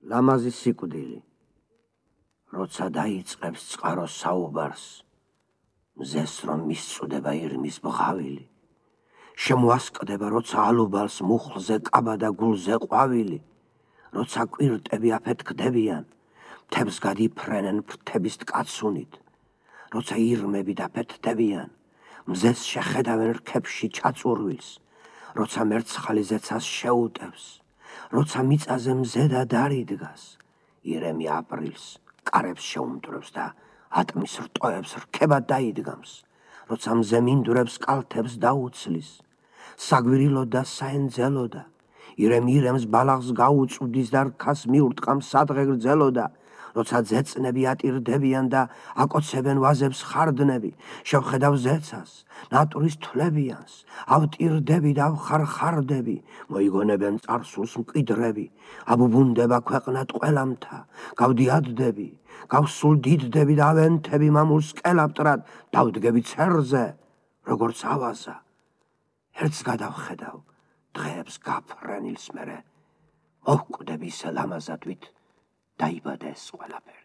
ლამაზი სიკვდილი, როცა დაიწყებს წყაროს საუბარს, მზეს რომ მისწუდება ირმის ბღავილი, შემოასკდება, როცა ალუბალს მუხლზე კაბა და გულზე ყვავილი, როცა კვირტები აფეთქდებიან, მთებს გადიფრენენ ფრთების ტკაცუნით, როცა ირმები დაფეთდებიან, მზეს შეხედავენ რქებში ჩაწურვილს, როცა მერცხალი ზეცას შეუტევს, როცა მიწაზე მზედა დარიდგას, ირემი აპრილს კარებს შეუმტვრევს და ატმის რტოებს რქებად დაიდგამს, როცა მზე მინდვრებს კალთებს დაუცლის, საგვირილო და საენძელო და ირემი ირემს ბალახს გაუწვდის და რქას მიურტყამს სადღე გრძელოდა, როცა ძეწნები ატირდებიან და აკოცებენ ვაზებს ხარდნები, შევხედავ ზეცას, ნატურის თვლებიანს, ავტირდები და ავხარხარდები, მოიგონებენ წარსულს მკვიდრები, აბუბუნდება ქვეყნად ყველამთა, გავდიადდები, გავსულდიდდები და ავენთები მამულს კელაპტრად, დავდგები ცერზე, როგორც ავაზა. ერთს გადავხედავ, დღეებს გაფრენილს მერე, მოვკვდები ისე ლამაზად, ვით დაიბადა ეს ყველაფერი.